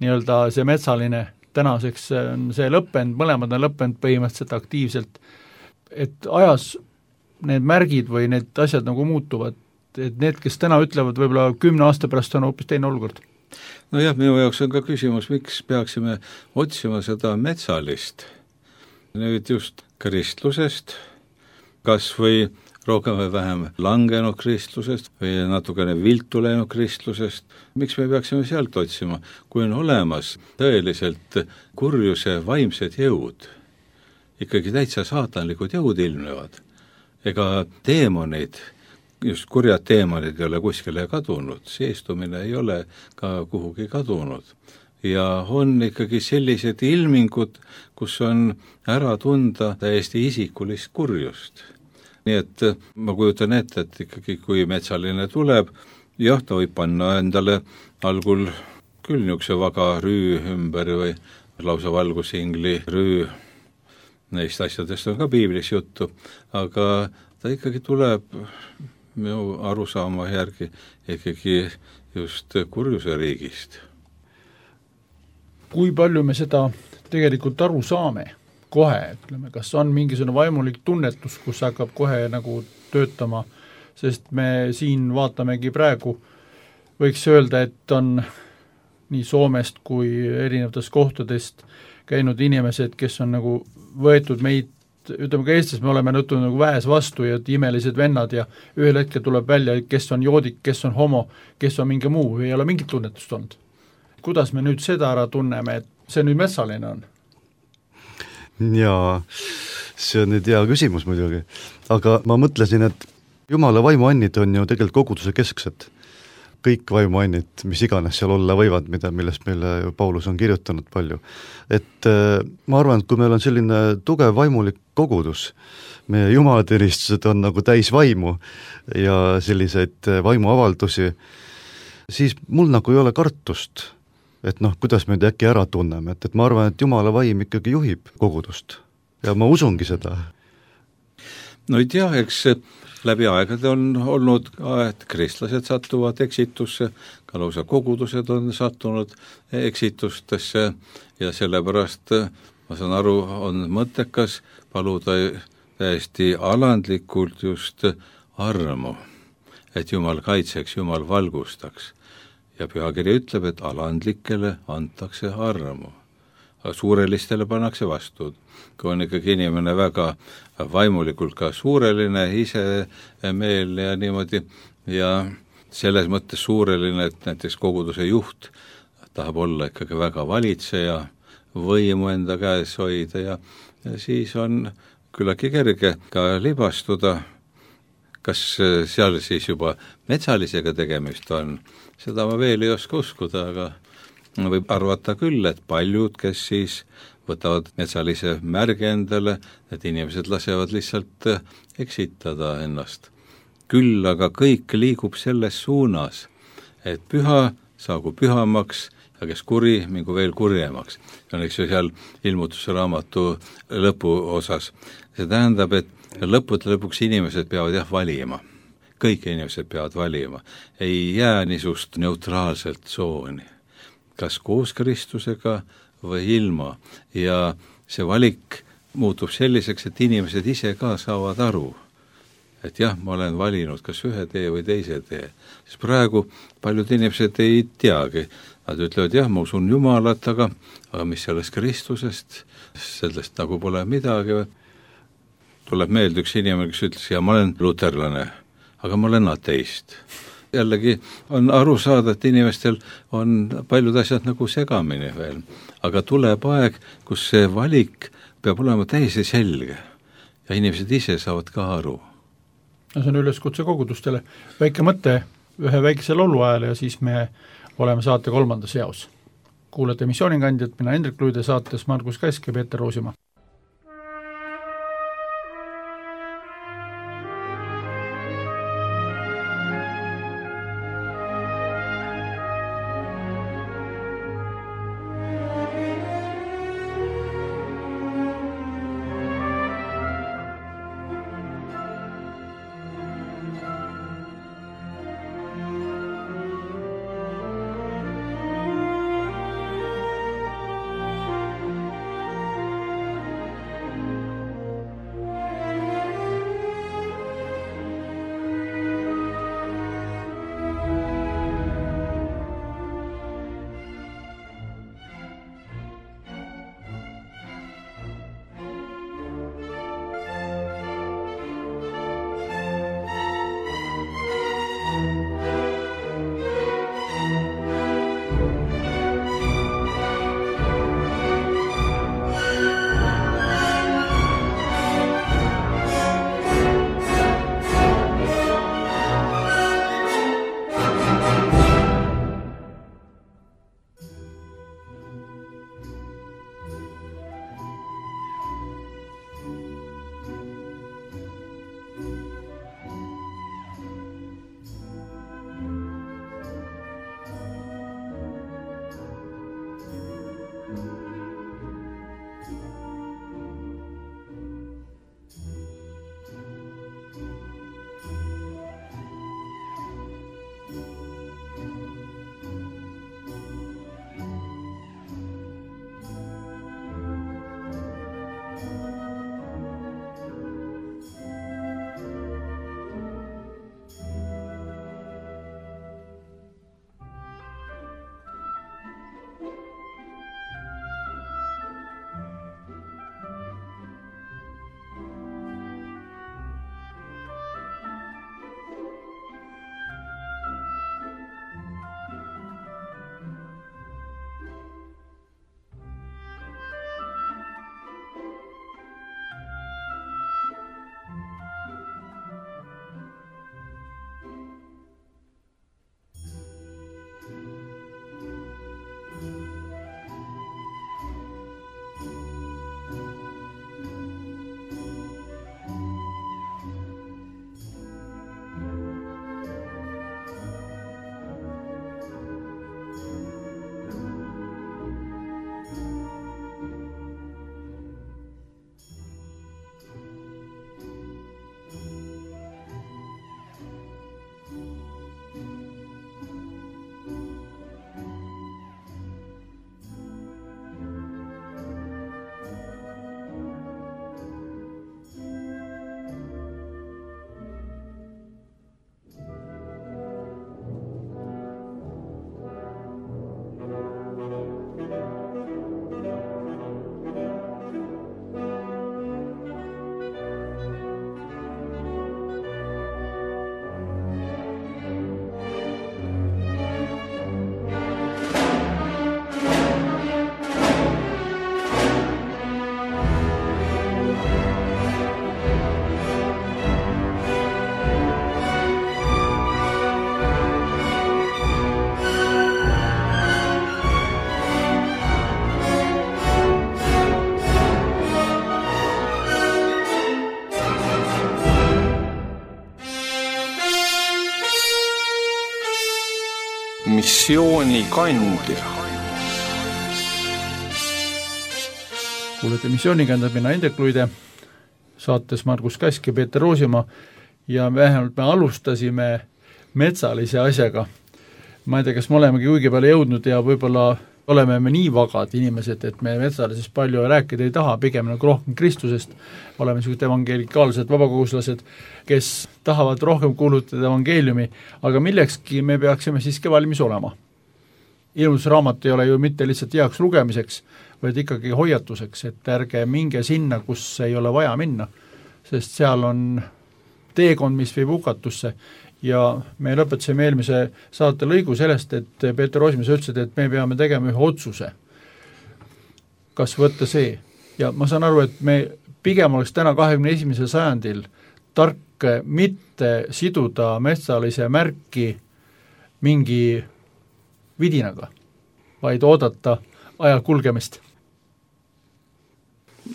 nii-öelda see metsaline, tänaseks on see lõppenud, mõlemad on lõppenud põhimõtteliselt aktiivselt, et ajas need märgid või need asjad nagu muutuvad, et need, kes täna ütlevad, võib-olla kümne aasta pärast on hoopis teine olukord. No jah, minu jaoks on ka küsimus, miks peaksime otsima seda metsalist nüüd just kristlusest, kas või rohkem või vähem langenud kristlusest või natukene viltu läinud kristlusest. Miks me peaksime sealt otsima, kui on olemas tõeliselt kurjuse vaimsed jõud, ikkagi täitsa saatanlikud jõud ilmnevad. Ega teemonid, just kurjad teemonid ei ole kuskile kadunud, seestumine ei ole ka kuhugi kadunud. Ja on ikkagi sellised ilmingud, kus on ära tunda täiesti isikulist kurjust. Nii et ma kujutan ette, et ikkagi kui metsaline tuleb, jah, ta võib panna endale algul küll niisuguse vaga rüü ümber või lausa valgusingli rüü, neist asjadest on ka piiblis juttu, aga ta ikkagi tuleb minu arusaama järgi ikkagi just kurjuse riigist. Kui palju me seda tegelikult aru saame kohe, ütleme, kas on mingisugune vaimulik tunnetus, kus hakkab kohe nagu töötama, sest me siin vaatamegi praegu, võiks öelda, et on nii Soomest kui erinevatest kohtadest käinud inimesed, kes on nagu võetud meid, ütleme ka Eestis me oleme nõutud nagu väes vastu ja imelised vennad ja ühel hetkel tuleb välja, kes on joodik, kes on homo, kes on mingi muu, ei ole mingit tunnetust olnud. Kuidas me nüüd seda ära tunneme, et see nüüd metsaline on? Jaa, see on nüüd hea küsimus muidugi, aga ma mõtlesin, et Jumala vaimuannid on ju tegelikult koguduse kesksed. Kõik vaimuannid, mis iganes seal olla võivad, mida, millest meile Paulus on kirjutanud palju. Et ma arvan, et kui meil on selline tugev vaimulik kogudus, meie jumalateenistused on nagu täis vaimu ja selliseid vaimuavaldusi, siis mul nagu ei ole kartust, et noh, kuidas me äkki ära tunneme, et, et ma arvan, et Jumala vaim ikkagi juhib kogudust ja ma usungi seda. No ei tea, eks läbi aegade on olnud ka, et kristlased satuvad eksitusse, ka lausa kogudused on sattunud eksitustesse ja sellepärast ma saan aru, on mõttekas paluda täiesti alandlikult just armu, et Jumal kaitseks, Jumal valgustaks. Ja pühakiri ütleb, et alandlikele antakse armu, aga suurelistele pannakse vastu. Kui on ikkagi inimene väga vaimulikult ka suureline, ise meel ja niimoodi, ja selles mõttes suureline, et näiteks koguduse juht tahab olla ikkagi väga valitseja, võimu enda käes hoida ja, ja siis on küllaki kerge ka libastuda. Kas seal siis juba metsalisega tegemist on? Seda ma veel ei oska uskuda, aga võib arvata küll, et paljud, kes siis võtavad metsalise märge endale, et inimesed lasevad lihtsalt eksitada ennast. Küll aga kõik liigub selles suunas, et püha saagu pühamaks ja kes kuri, mingu veel kurjemaks. Ja eks ju seal ilmutuse raamatu lõpu osas. See tähendab, et lõppude lõpuks inimesed peavad jah valima. Kõik inimesed peavad valima. Ei jää niisugust neutraalselt tsooni. Kas koos Kristusega või ilma. Ja see valik muutub selliseks, et inimesed ise ka saavad aru, et jah, ma olen valinud kas ühe tee või teise tee. Sest praegu paljud inimesed ei teagi. Nad ütlevad, jah, ma usun Jumalat, aga, aga mis sellest Kristusest, sellest nagu pole midagi. Tuleb meelde üks inimene, kes ütles, ja ma olen luterlane, aga ma olen ateist. Jällegi on aru saada, et inimestel on paljud asjad nagu segamini veel, aga tuleb aeg, kus see valik peab olema täiesti selge ja inimesed ise saavad ka aru. No see on üleskutse kogudustele. Väike mõte ühe väikese laulu ajal ja siis me oleme saate kolmandas jaos. Kuulete missioonikandjat, mina Hendrik Luide, saates Margus Kask ja Peeter Roosimaa. missioonikandja. Kuulete missioonikandja, mina Indrek Luide, saates Margus Kask ja Peeter Roosimaa ja vähemalt me alustasime metsalise asjaga. Ma ei tea, kas me olemegi kuigi palju jõudnud ja võib-olla oleme me nii vagad inimesed, et me metsalisest palju rääkida ei taha, pigem nagu rohkem Kristusest. Oleme niisugused evangelikaalsed vabakoguslased, kes tahavad rohkem kuulutada evangeeliumi, aga millekski me peaksime siiski valmis olema. Ilmutusraamat ei ole ju mitte lihtsalt heaks lugemiseks, vaid ikkagi hoiatuseks, et ärge minge sinna, kus ei ole vaja minna, sest seal on teekond, mis viib hukatusse. Ja me lõpetasime eelmise saate lõigu sellest, et Peeter Roosimaa ütles, et me peame tegema ühe otsuse, kas võtta see. Ja ma saan aru, et me pigem oleks täna kahekümne esimesel sajandil tark mitte siduda metsalise märki mingi vidinaga, vaid oodata aja kulgemist.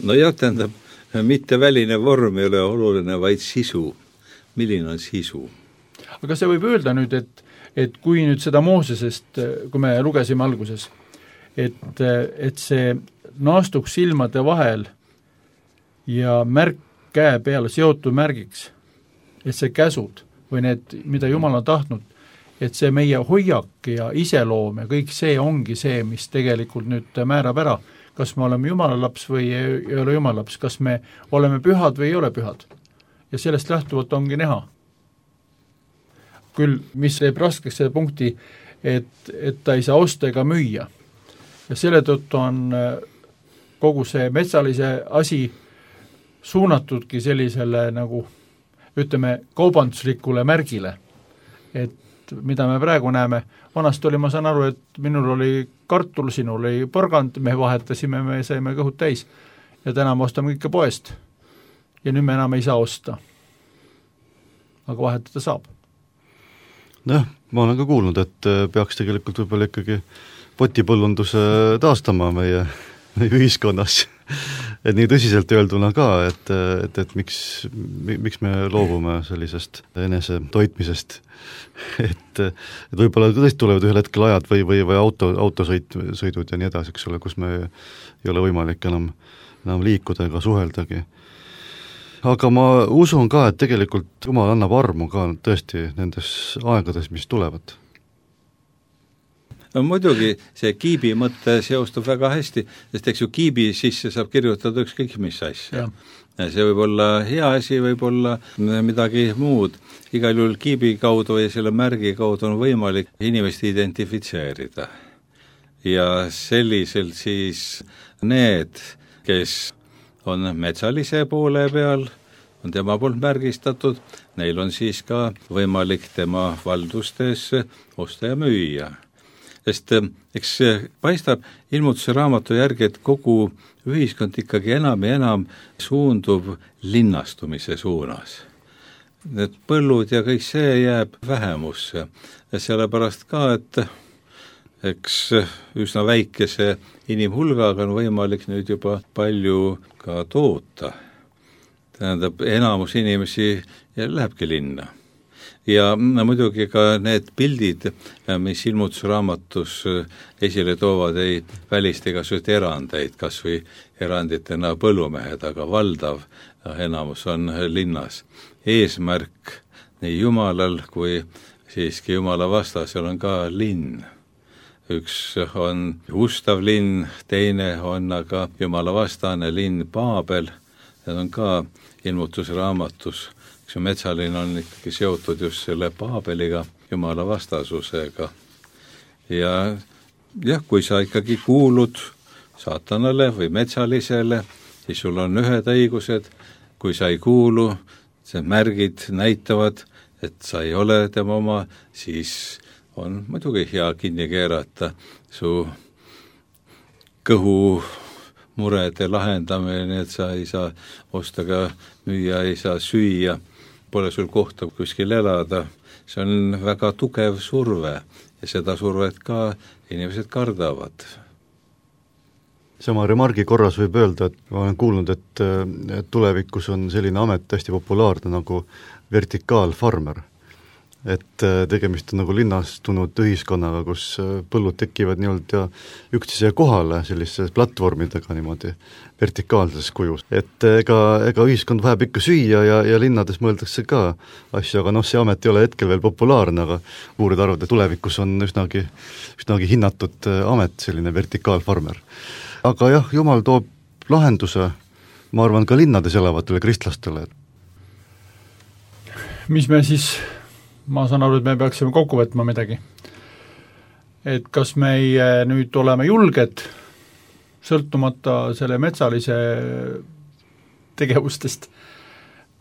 No jah, tähendab, mitte väline vorm ei ole oluline, vaid sisu. Milline on sisu? Aga see võib öelda nüüd, et, et kui nüüd seda Moosesest, kui me lugesime alguses, et, et see naastuks silmade vahel ja märk käe peale seotud märgiks, et see käsud või need, mida Jumal on tahtnud, et see meie hoiak ja iseloom ja kõik see ongi see, mis tegelikult nüüd määrab ära, kas me oleme Jumala laps või ei ole Jumala laps, kas me oleme pühad või ei ole pühad. Ja sellest lähtuvalt ongi näha. Küll, mis teeb raskeks selle punkti, et, et ta ei saa osta ega müüa. Ja selle tõttu on kogu see metsalise asi suunatudki sellisele nagu, ütleme, kaubanduslikule märgile, et mida me praegu näeme, vanast oli, ma saan aru, et minul oli kartul, sinul oli porgand, me vahetasime, me saime kõhud täis ja täna me ostame kõike poest ja nüüd me enam ei saa osta. Aga vahetada saab. Noh, ma olen ka kuulnud, et peaks tegelikult võib-olla ikkagi potipõllunduse taastama meie, meie ühiskonnas. Et nii tõsiselt öelduna ka, et, et, et miks, miks me loobume sellisest enese toitmisest. Et, et võib-olla tõesti tulevad ühel hetkel ajad või, või, või auto, autosõit, sõidud ja nii edasi, eks ole, kus me ei ole võimalik enam, enam liikuda ega suheldagi. Aga ma usun ka, et tegelikult Jumal annab armu ka tõesti nendes aegades, mis tulevad. No muidugi see kiibi mõte seostub väga hästi, sest eks ju kiibi sisse saab kirjutada ükskõik mis asja. Ja see võib olla hea asi, võib olla midagi muud. Igal juhul kiibi kaudu ja selle märgi kaudu on võimalik inimest identifitseerida. Ja selliselt siis need, kes on metsalise poole peal, on tema poolt märgistatud, neil on siis ka võimalik tema valdustes osta ja müüa. Sest eks paistab ilmutuse raamatu järgi, et kogu ühiskond ikkagi enam ja enam suundub linnastumise suunas. Need põllud ja kõik see jääb vähemusse. Ja sellepärast ka, et eks üsna väikese inimhulgaga on võimalik nüüd juba palju ka toota. Tähendab, enamus inimesi lähebki linna. Ja muidugi ka need pildid, mis ilmutusraamatus esile toovad, ei välista igasuguseid erandeid, kas või eranditena põllumehed, aga valdav enamus on linnas. Eesmärk nii Jumalal kui siiski Jumala vastasel on ka linn. Üks on ustav linn, teine on aga Jumala vastane linn Paabel, need on ka ilmutusraamatus. Eks metsalinn on ikkagi seotud just selle Paabeliga, Jumala vastasusega. Ja jah, kui sa ikkagi kuulud saatanale või metsalisele, siis sul on ühed õigused, kui sa ei kuulu, see märgid näitavad, et sa ei ole tema oma, siis on muidugi hea kinni keerata su kõhu murede lahendamine, et sa ei saa osta ka müüa, ei saa süüa, pole sul kohta kuskil elada. See on väga tugev surve ja seda survet ka inimesed kardavad. Sama remargi korras võib öelda, et ma olen kuulnud, et, et tulevikus on selline amet hästi populaarne nagu vertikaalfarmer. et tegemist on nagu linnastunud ühiskonnaga, kus põllud tekivad nii-öelda üksteise kohale selliste platvormidega niimoodi vertikaalses kujus. Et ega, ega ühiskond vajab ikka süüa ja, ja linnades mõeldakse ka asju, aga noh, see amet ei ole hetkel veel populaarne, aga uurid arvavad, et tulevikus on üsnagi, üsnagi hinnatud amet, selline vertikaalfarmer. Aga jah, Jumal toob lahenduse, ma arvan, ka linnades elavatele kristlastele. Mis me siis, ma saan aru, et me peaksime kokku võtma midagi. Et kas meie nüüd oleme julged, sõltumata selle metsalise tegevustest,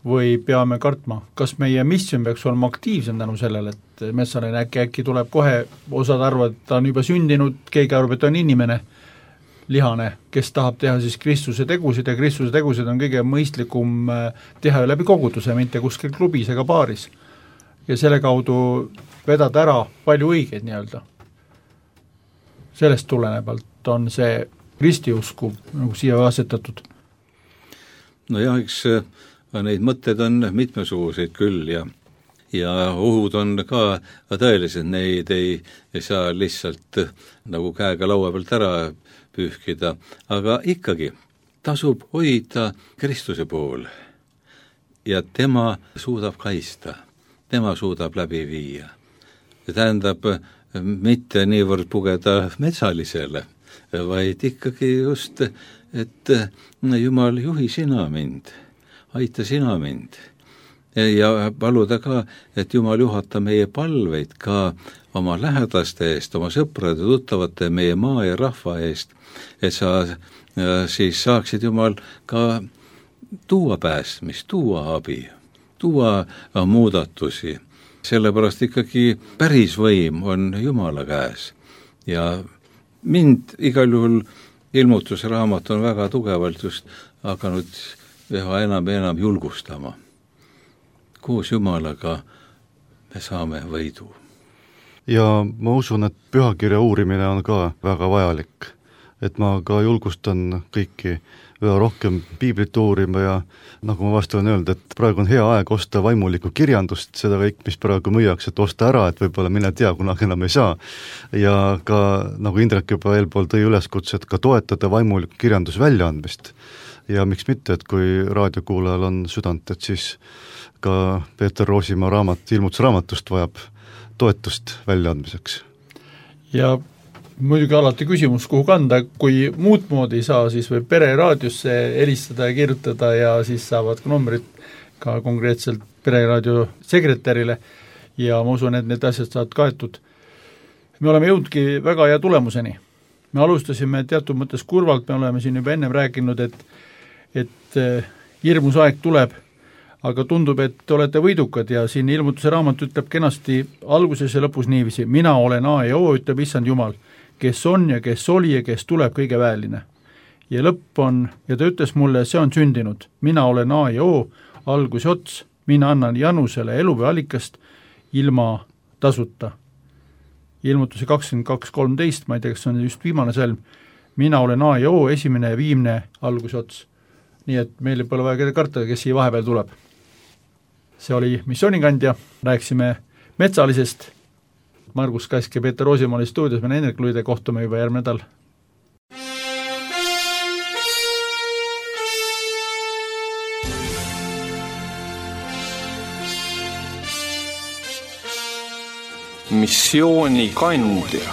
või peame kartma? Kas meie mission peaks olema aktiivsem tänu sellele, et metsaline äkki, äkki tuleb kohe, osad arvad, et ta on juba sündinud, keegi arvab, et ta on inimene, lihane, kes tahab teha siis Kristuse tegusid ja Kristuse tegusid on kõige mõistlikum teha läbi koguduse, mitte kuskil klubis ega baaris. Ja selle kaudu vedada ära palju õigeid nii-öelda. Sellest tulenevalt on see ristiusku nagu siia asetatud. No jah, eks neid mõtted on mitmesuguseid küll ja, ja ohud on ka tõelised, neid ei, ei saa lihtsalt nagu käega laua pealt ära pühkida, aga ikkagi tasub hoida Kristuse pool ja tema suudab kaista, tema suudab läbi viia. See tähendab mitte niivõrd pugeda metsalisele, vaid ikkagi just, et Jumal, juhi sina mind, aita sina mind ja paluda ka, et Jumal juhata meie palveid ka oma lähedaste eest, oma sõprade, tuttavate, meie maa ja rahva eest, et sa siis saaksid Jumal ka tuua päästmist, tuua abi, tuua muudatusi. Sellepärast ikkagi päris võim on Jumala käes. Ja mind igal juhul ilmutusraamat on väga tugevalt just hakanud üha enam ja enam julgustama. Koos Jumalaga me saame võidu. Ja ma usun, et pühakirja uurimine on ka väga vajalik. Et ma ka julgustan kõiki üha rohkem piiblit uurima ja nagu ma vastu olen öelnud, et praegu on hea aeg osta vaimulikku kirjandust, seda kõik, mis praegu müüakse, et osta ära, et võib-olla mine tea, kunagi enam ei saa. Ja ka, nagu Indrek juba eelpool tõi üleskutse, et ka toetada vaimulikku kirjandus väljaandmist. Ja miks mitte, et kui raadiokuulajal on südant, et siis ka Peeter Roosimaa raamat, ilmutusraamatust vajab toetust väljaandmiseks. Ja muidugi alati küsimus, kuhu kanda, kui muud moodi ei saa, siis võib pere raadiosse helistada ja kirjutada ja siis saavad ka numbrid ka konkreetselt pereraadio sekretärile ja ma usun, et need asjad saavad kaetud. Me oleme jõudki väga hea tulemuseni. Me alustasime teatud mõttes kurvalt, me oleme siin juba ennem rääkinud, et, et hirmus aeg tuleb, aga tundub, et te olete võidukad ja siin ilmutuse raamat ütleb kenasti alguses ja lõpus niiviisi, mina olen A ja O, ütleb issand Jumal, kes on ja kes oli ja kes tuleb kõige väeline. Ja lõpp on, ja ta ütles mulle, see on sündinud, mina olen A ja O, algus ja ots, mina annan Janusele elu või allikast ilma tasuta. Ilmutuse kakskümmend kaks kolmteist, ma ei tea, kas on just viimane sõlm, mina olen A ja O, esimene ja viimne algus ja ots. Nii et meil ei pole vaja keda karta, kes siia vahepeal tuleb. See oli missioonikandja, rääksime metsalisest, Margus Kask ja Peeter Roosimaa oli stuudios, me Hendrik Luide kohtume juba järgmine nädal. Missioonikandja.